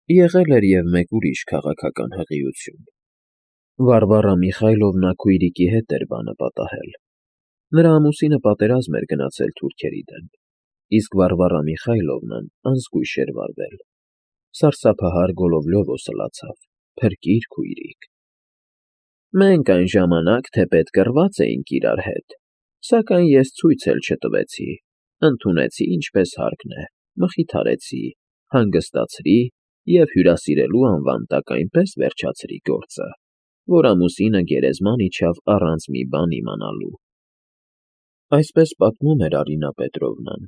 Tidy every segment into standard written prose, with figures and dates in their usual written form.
Եղել էր և մեկ ուրիշ քաղաքական հղիություն. Վարվարա Միխայլովնա քույրիկի հետ էր բանը պատահել. նրա ամուսինը պատերազմ էր գնացել թուրքերի դեմ, իսկ Վարվարա Միխայլովնան անզգույշ էր վարվել. սարսափահար Գոլովլյովը սլացավ, փրկիր քույրիկ։ Մենք այն ժամանակ թեպետ կռված էինք իրար հետ, սակայն ես ցույց էլ չտվեցի, ընդունեցի ինչպես հարկն է, մխիթարեցի, հանգստացրի և հյուրասիրելու անվան տակ այնպես վերջացրի գործը, որ ամուսինը գերեզման իջավ առանց մի բան իմանալու։ Այսպես պատմում էր Արինա Պետրովնան,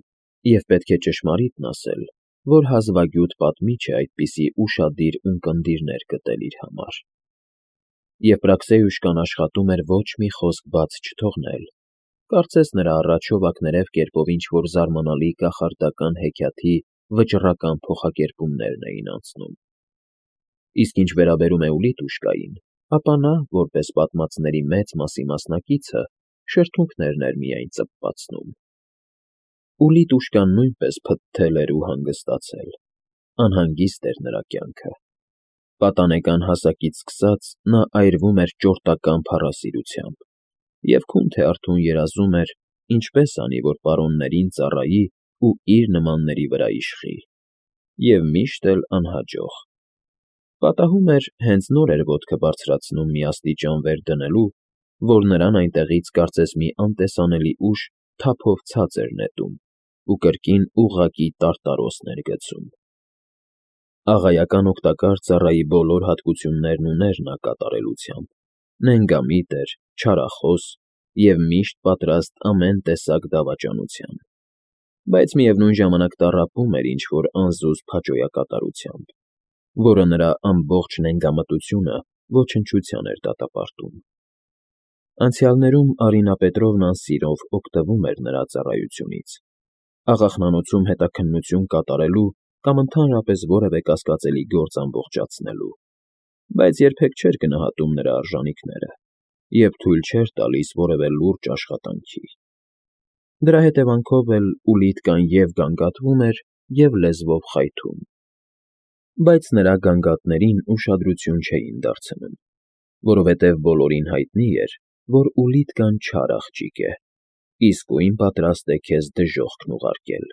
և պետք է ճշմարիտն ասել, որ հազվագյուտ պատմիչ է այդպիսի ուշադիր ունկնդիրներ գտել իր համար։ Եփրաքսեյուշկան աշխատում էր ոչ մի խոսք բաց չթողնել, կարծես նրա առաջ հովակներև կերպով ինչ-որ զարմանալի կախարդական հեքիաթի վճռական փոխակերպումներն էին անցնում։ Իսկ ինչ վերաբերում է Ուլիտուշկային, ապա նա, որպես պատմածների մեծ մասի մասնակիցը, շրթունքներն էր միայն ծպվածնում։ Ուլիտուշկան նույնպես փթթել էր ու հանգստացել, անհանգիստ էր նրա կյանքը։ Պատանեկան հասակից սկսած նա այրվում էր ճորտական փառասիրությամբ և քունթե-արթուն երազում էր, ինչպես անի, որ պարոններին ծառայի ու իր նմանների վրա իշխի, և միշտ էլ անհաջող։ Պատահում էր, հենց նոր էր ոտքը բարձրացնում մի աստիճան վեր դնելու, որ նրան այնտեղից կարծես մի անտեսանելի ուժ թափով ցած էր նետում ու կրկին ուղղակի տարտարոսն էր գցում։ Աղայական օգտակար ծառայի բոլոր հատկություններն ուներ նա կատարելությամբ, նենգամիտ էր, չարախոս և միշտ պատրաստ ամեն տեսակ դավաճանության, բայց միևնույն ժամանակ տառապում էր ինչ-որ անզուսպ հաճոյակատարությամբ, որը նրա ամբողջ նենգամտությունը ոչնչության էր դատապարտում։ Անցյալներում Արինա Պետրովնան սիրով օգտվում էր նրա ծառայությունից, աղախնանոցում հետաքննություն կատարելու կամ ընդհանրապես որևէ կասկածելի գործ ամբողջացնելու, բայց երբեք չէր գնահատում նրա արժանիքները և թույլ չէր տալիս որևէ լուրջ աշխատանքի։ Դրա հետևանքով էլ Ուլիտկան և գանգատվում էր, և լեզվով խայթում, բայց նրա գանգատներին ուշադրություն չէին դարձնում, որովհետև բոլորին հայտնի էր, որ Ուլիտկան չար աղջիկ է, իսկույն պատրաստ է քեզ դժոխքն ուղարկել,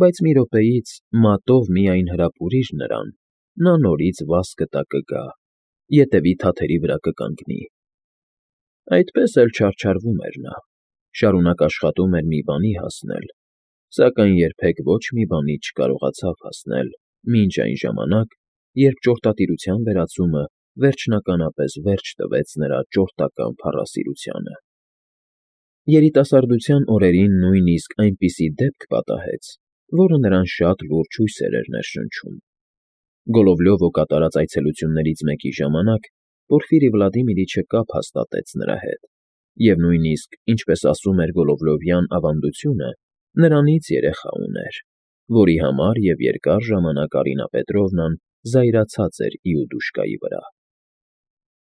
բայց մի րոպեից մատով միայն հրապուրիր նրան, նա նորից վաս կտա կգա, ետևի թաթերի վրա կկանգնի։ Այդպես էլ չարչարվում էր նա, շարունակ աշխատում էր մի բանի հասնել, սակայն երբեք ոչ մի բանի չկարողացավ հասնել մինչ այն ժամանակ, երբ ճորտատիրության վերացումը վերջնականապես վերջ տվեց նրա ճորտական փառասիրությանը։ Երիտասարդության օրերին նույնիսկ այնպիսի դեպք պատահեց, որը նրան շատ լուրջ հույսեր էր ներշնչում։ Գոլովլյովը կատարած այցելություններից մեկի ժամանակ Պորֆիրի Վլադիմիրիչը կապ հաստատեց նրա հետ, և նույնիսկ, ինչպես ասում էր գոլովլյովյան ավանդությունը, նրանից երեխա ուներ, որի համար և երկար ժամանակ Արինա Պետրովնան զայրացած էր Իուդուշկայի վրա։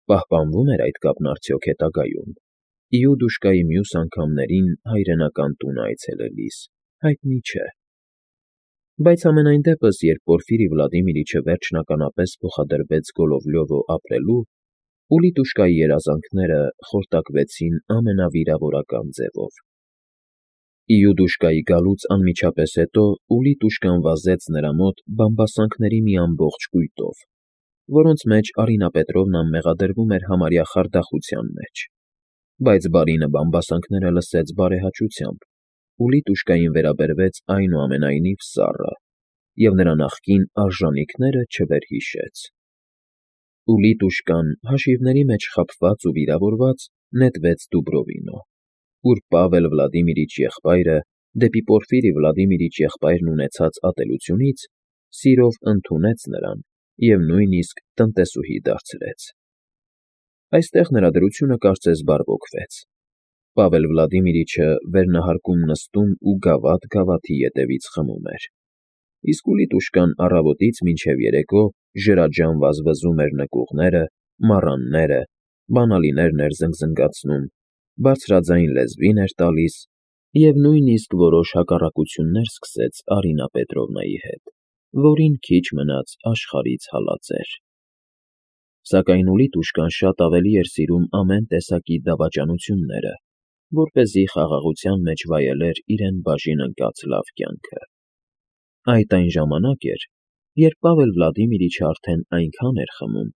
Պահպանվո՞ւմ էր այդ կապն արդյոք հետագայում, Իուդուշկայի մյուս անգամներին հայրենական տունը այցելելիս, հայտնի չէ։ Բայց համենայն դեպս, երբ Պորֆիրի Վլադիմիրիչը վերջնականապես փոխադրվեց Գոլովլյովը ապրելու, Ուլիտուշկայի երազանքները խորտակվեցին ամենավիրավորական ձևով։ Իուդուշկայի գալուց անմիջապես հետո Ուլիտուշկան վազեց նրա մոտ բամբասանքների մի ամբողջ կույտով, որոնց մեջ Արինա Պետրովնան մեղադրվում էր համարյա խարդախության մեջ, բայց բարինը բամբասանքները լսեց բարեհաճությամբ, Ուլիտուշկային վերաբերվեց այնուամենայնիվ սառը և նրա նախկին արժանիքները չվերհիշեց։ Ուլիտուշկան, հաշիվների մեջ խաբված ու վիրավորված, նետվեց Դուբրովինո, ուր Պավել Վլադիմիրիչ եղբայրը, դեպի Պորֆիրի Վլադիմիրիչ եղբայրն ունեցած ատելությունից, սիրով ընդունեց նրան և նույնիսկ տնտեսուհի դարձրեց։ Այստեղ նրա դրությունը կարծես բարվոքվեց։ Պավել Վլադիմիրիչը վերնահարկում նստում ու գավաթ ետևից խմում էր, իսկ Ուլիտուշկան առավոտից մինչև երեկո ջրաջամ վազվզում էր նկուղները, մառանները, բանալիներն էր զնգզնգացնում, բարձրաձայն լեզվին էր տալիս և նույնիսկ որոշ հակառակություններ սկսեց Արինա Պետրովնայի հետ։ որին քիչ մնաց աշխարհից հալածեր։ Սակայն Ուլիտուշկան շատ ավելի էր սիրում ամեն տեսակի դավաճանությունները, որպեսզի խաղաղության մեջ վայելեր իրեն բաժին ընկած լավ կյանքը։ Այդ այն ժամանակ էր, երբ Պավել Վլադիմիրիչը արդեն այնքան էր խմում,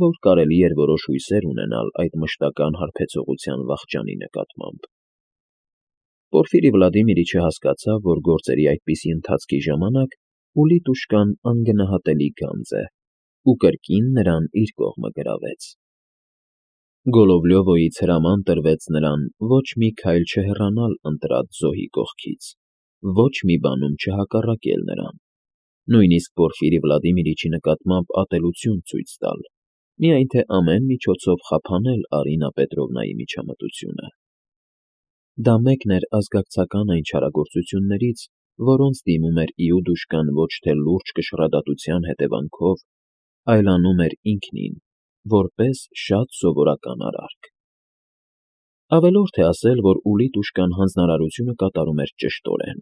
որ կարելի էր որոշ հույսեր ունենալ այդ մշտական հարբեցողության վախճանի նկատմամբ։ Պորֆիրի Վլադիմիրիչը հասկացավ, որ գործերի այդպիսի ընթացքի ժամանակ Ուլիտուշկան անգնահատելի գանձ է, ու կրկին նրան իր կողմը գրավեց։ Գոլովլյովոյից հրաման տրվեց նրան ոչ մի քայլ չհեռանալ ընտրած զոհի կողքից, ոչ մի բանում չհակառակել նրան, նույնիսկ Պորֆիրի Վլադիմիրիչի նկատմամբ ատելություն ցույց տալ, միայն թե ամեն միջոցով խափանել Արինա Պետրովնայի միջամտությունը։ Դա մեկն էր ազգակցական այն չարագործություններից, որոնց դիմում էր Իուդուշկան ոչ թե լուրջ կշռադատության հետևանքով, այլ անում էր ինքնին, որպես շատ սովորական արարք։ Ավելորդ է ասել, որ Ուլիտուշկան հանձնարարությունը կատարում էր ճշտորեն։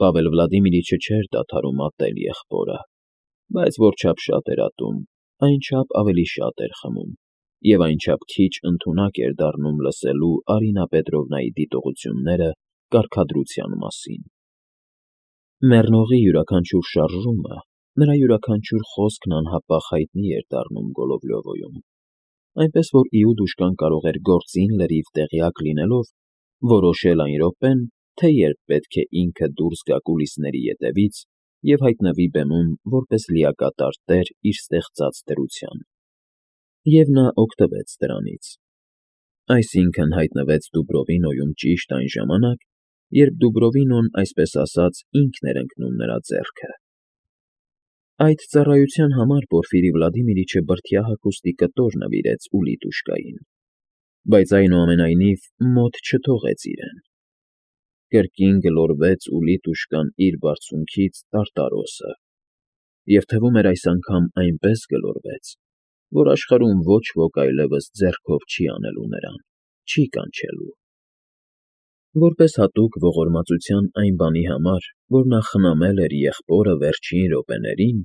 Պավել Վլադիմիրիչը չէր դադարում ատել եղբորը, բայց որչափ շատ էր ատում, այնչափ ավելի շատ էր խմում, և այնչափ քիչ ընդունակ էր դառնում լսելու Արինա Պետրովնայի դիտողությունները կարգադրության մասին։ Մեռնողի յուրաքանչյուր շարժումը, նրա յուրաքանչյուր խոսքն անհապաղ հայտնի էր դառնում Գոլովլյովոյում, այնպես որ Իուդուշկան կարող էր գործին լրիվ տեղյակ լինելով որոշել այն րոպեն, թե երբ պետք է ինքը դուրս գա կուլիսների ետևից և հայտնվի բեմում որպես լիակատար տեր իր ստեղծած դրության։ Եվ նա օգտվեց դրանից։ Այսինքն հայտնվեց Դուբրովինոյում ճիշտ այն ժամանակ, երբ Դուբրովինոն, այսպես ասած, ինքն էր ընկնում նրա ձեռքը։ Այդ ծառայության համար Պորֆիրի Վլադիմիրիչը բրդյա հագուստի կտոր նվիրեց Ուլիտուշկային, բայց այնուամենայնիվ մոտ չթողեց իրեն։ Կրկին գլորվեց Ուլիտուշկան իր բարձունքից տարտարոսը, և թվում էր այս անգամ այնպես գլորվեց, որ աշխարհում ոչ ոք այլևս ձեռքով չի անելու նրան, չի կանչելու։ Որպես հատուկ ողորմածության այն բանի համար, որ նա խնամել էր եղբորը վերջին րոպեներին,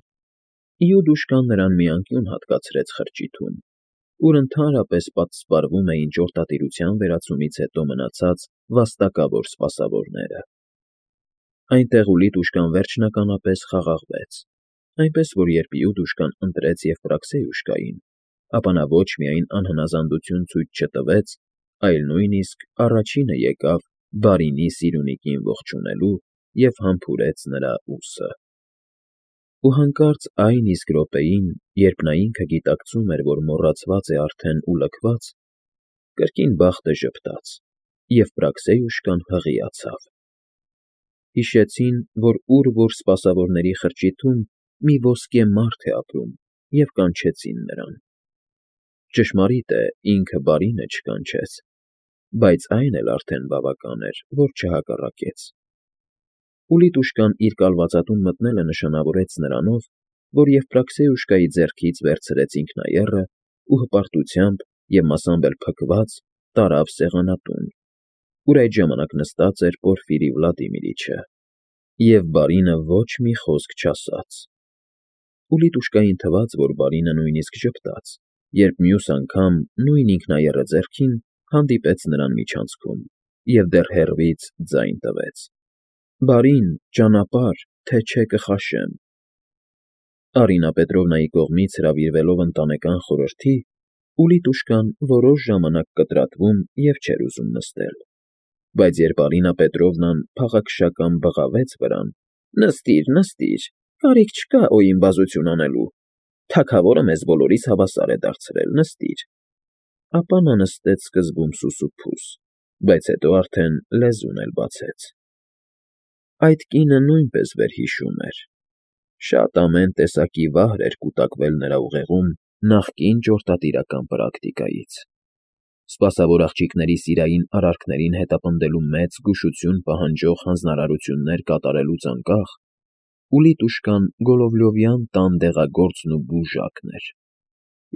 Իուդուշկան նրան մի անկյուն հատկացրեց խրճիթում, ուր ընդհանրապես պատսպարվում էին ճորտատիրության վերացումից հետո մնացած վաստակավոր սպասավորները։ Այնտեղ Ուլիտուշկան վերջնականապես խաղաղվեց, այնպես որ երբ Իուդուշկան ընտրեց Եվպրաքսեյուշկային, ապա նա ոչ միայն անհնազանդություն ցույց չտվեց, այլ նույնիսկ առաջինը եկավ բարինի Սիրունիկին ողջունելու և համբուրեց նրա ուսը։ Ու հանկարծ այն իսկ րոպեին, երբ նա ինքը գիտակցում էր, որ մոռացված է արդեն ու լքված, կրկին բախտը ժպտաց, և Պրաքսեյուշկան հղիացավ։ Հիշեցին, որ ուր որ սպասավորների խրճիթում մի ոսկե մարդ է ապրում, և կանչեցին նրան։ Ճշմարիտ է, ինքը բարինը չկանչեց, բայց այն էլ արդեն բավական էր, որ չհակառակեց։ Ուլիտուշկան իր կալվածատուն մտնելը նշանավորեց նրանով, որ Եվպրաքսեյուշկայի ձեռքից վերցրեց ինքնաեռը ու հպարտությամբ և մասամբ էլ փքված տարավ սեղանատուն, ուր այդ ժամանակ նստած էր Պորֆիրի Վլադիմիրիչը, և բարինը ոչ մի խոսք չասաց։ Ուլիտուշկային թվաց, որ բարինը նույնիսկ ժպտաց, երբ մյուս անգամ նույն ինքնաեռը ձեռքին հանդիպեց նրան միջանցքում և դեռ հեռվից ձայն տվեց. «Բարին, ճանապարհ, թե չէ կխաշեմ»։ Արինա Պետրովնայի կողմից հրավիրվելով ընտանեկան խորհրդի, Ուլիտուշկան որոշ ժամանակ կտրատվում և չէր ուզում նստել, բայց երբ Արինա Պետրովնան փաղաքշական բղավեց վրան. «Նստիր, նստիր, կարիք չկա օիմբազություն անելու, թագավորը մեզ բոլորիս հավասար է դարձրել, նստիր», ապա նա նստեց սկզբում սուսուփուս, բայց հետո արդեն լեզուն էլ բացեց։ Այդ կինը նույնպես վերհիշում էր։ Շատ ամեն տեսակի վահր էր կուտակվել նրա ուղեղում նախկին ճորտատիրական պրակտիկայից։ Սպասավոր աղջիկների սիրային արարքներին հետապնդելու մեծ զգուշություն պահանջող հանձնարարություններ կատարելուց անկախ, Ուլիտուշկան Գոլովլյովյան տան դեղագործն ու բուժակն էր։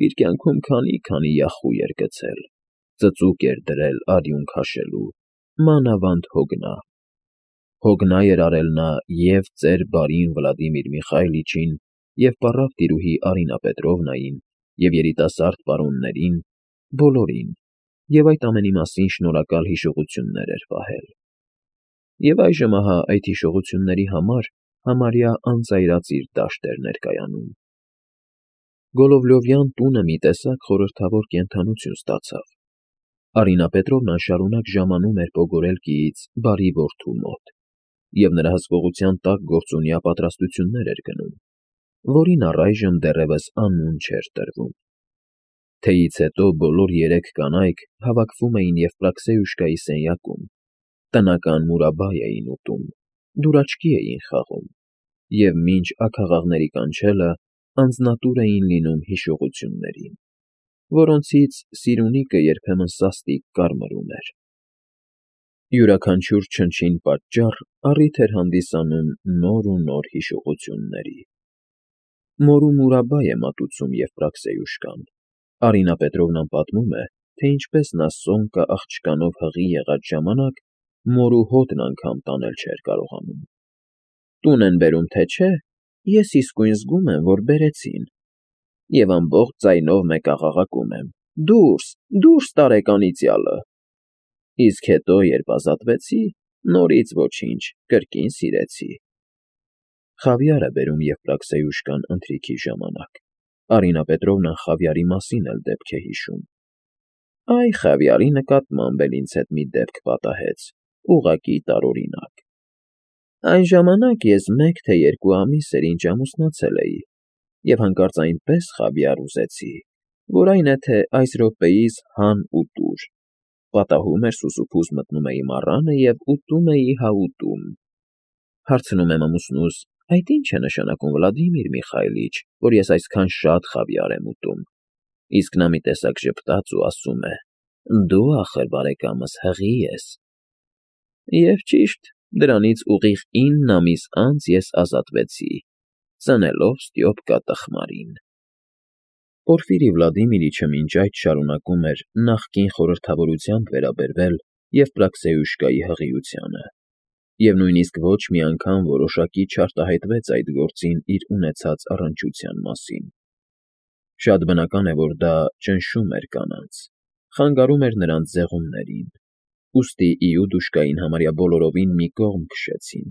Իր կյանքում քանի յախույ էր գցել, ծծուկ էր դրել արյուն քաշելու, մանավանդ հոգնա։ Հոգնայ էր արել նա և ծեր բարին Վլադիմիր Միխայիլիչին, և պառավ տիրուհի Արինա Պետրովնային, և երիտասարդ պարոններին, բոլորին, և այդ ամենի մասին շնորհակալ հիշողություններ էր պահել։ Եվ այժմ ահա այդ հիշողությունների համար համարյա անծայրածիր դաշտ էր ներկայանում։ Գոլովլյովյան տունը մի տեսակ խորհրդավոր կենդանություն ստացավ։ Արինա Պետրովնան շարունակ ժամանում էր Պոգորելկիից բարի որդու մոտ, և նրա հսկողության տակ գործունյա պատրաստություններ էր գնում, որին առայժմ դեռևս անուն չէր տրվում։ Թեյից հետո բոլոր երեք կանայք հավաքվում էին Եվպրաքսեյուշկայի սենյակում, տնական մուրաբա էին ուտում, դուրաչկի էին խաղում, և մինչ աքաղաղների կանչելը անձնատուր էին լինում հիշողություններին, որոնցից Սիրունիկը երբեմն սաստիկ կարմրում էր։ Յուրաքանչյուր չնչին պատճառ առիթ էր հանդիսանում նոր ու նոր հիշողությունների։ Մորու մուրաբա է մատուցում Եվպրաքսեյուշկան։ Արինա Պետրովնան պատմում է, թե ինչպես նա Սոմկա աղջկանով հղի եղած ժամանակ մորու հոտն անգամ տանել չէր կարողանում։ Տուն են բերում, թե չէ, ես իսկույն զգում եմ, որ բերեցին, և ամբողջ ձայնով մեկաղաղակում եմ. «Դուրս, դուրս տարեք անիծյալը»։ Իսկ հետո, երբ ազատվեցի, նորից ոչինչ, կրկին սիրեցի։ Խավիար է բերում Եվպրաքսեյուշկան ընթրիքի ժամանակ։ Արինա Պետրովնան խավիարի մասին էլ դեպք է հիշում։ Այ խավիարի նկատմամբ էլ ինձ հետ մի դեպք պատահեց, ուղղակի տարօրինակ։ Այն ժամանակ ես 1 թե 2 ամիս էր ինչ ամուսնացել էի, և հանկարծ այնպես խավիար ուզեցի, որ այն է թե այս րոպեիս հան ու տուր։ Պատահում էր սուսուփուս մտնում էի մառանը և ուտում էի հա ուտում։ Հարցնում եմ ամուսնուս. այդ ի՞նչ է նշանակում, Վլադիմիր Միխայիլիչ, որ ես այսքան շատ խավիար եմ ուտում։ Իսկ նա մի տեսակ ժպտաց ու ասում է. դու ախր բարեկամս հղի ես։ Եվ ճիշտ, դրանից ուղիղ 9 ամիս անց ես ազատվեցի, ծնելով Ստյոպկա տխմարին։ Պորֆիրի Վլադիմիրիչը մինչ այդ շարունակում էր նախկին խորհրդավորությամբ վերաբերվել Եվպրաքսեյուշկայի հղիությանը, և նույնիսկ ոչ մի անգամ որոշակի չարտահայտվեց այդ գործին իր ունեցած առնչության մասին։ Շատ բնական է, որ դա ճնշում էր կանանց, խանգարում էր նրանց ձեղումներին, ուստի Իուդուշկային համարյա բոլորովին մի կողմ քշեցին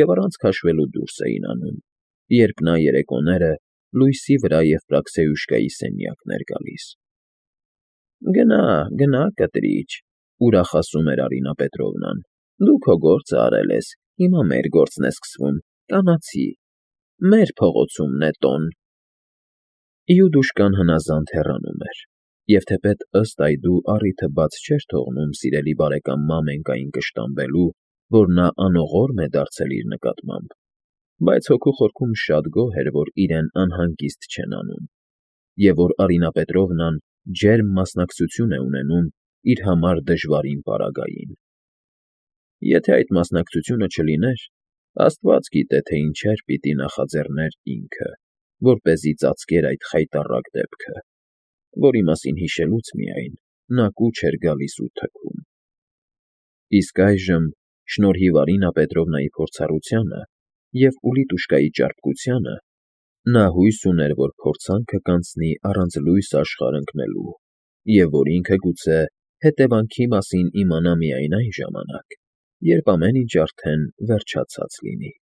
և առանց քաշվելու դուրս էին անում, երբ նա երեկոները լույսի վրա Եվպրաքսեյուշկայի սենյակն էր գալիս։ Գնա, գնա, կտրիչ, ուրախ ասում էր Արինա Պետրովնան, դու քո գործը արել ես, հիմա մեր գործն է սկսվում, կանացի, մեր փողոցումն է տոն։ Իուդուշկան հնազանդ հեռանում էր, և թեպետ ըստ այդու առիթը բաց չէր թողնում սիրելի բարեկամ Մամենկային կշտամբելու, որ նա անողորմ է դարձել իր նկատմամբ, բայց հոգու խորքում շատ գոհ էր, որ իրեն անհանգիստ չեն անում, և որ Արինա Պետրովնան ջերմ մասնակցություն է ունենում իր համար դժվարին պարագային։ Եթե այդ մասնակցությունը չլիներ, Աստված գիտե, թե ինչեր պիտի նախաձեռներ ինքը, որպեսզի ծածկեր այդ խայտառակ դեպքը, որի մասին հիշելուց միայն նա կուչ էր գալիս ու թքում։ Իսկ այժմ, շնորհիվ Արինա Պետրովնայի փորձառությանը և Ուլիտուշկայի ճարպկությանը, նա հույս ուներ, որ փորձանքը կանցնի առանց լույս աշխարհ ընկնելու, և որ ինքը գուցե հետևանքի մասին իմանա միայն այն ժամանակ, երբ ամեն ինչ արդեն վերջացած լինի։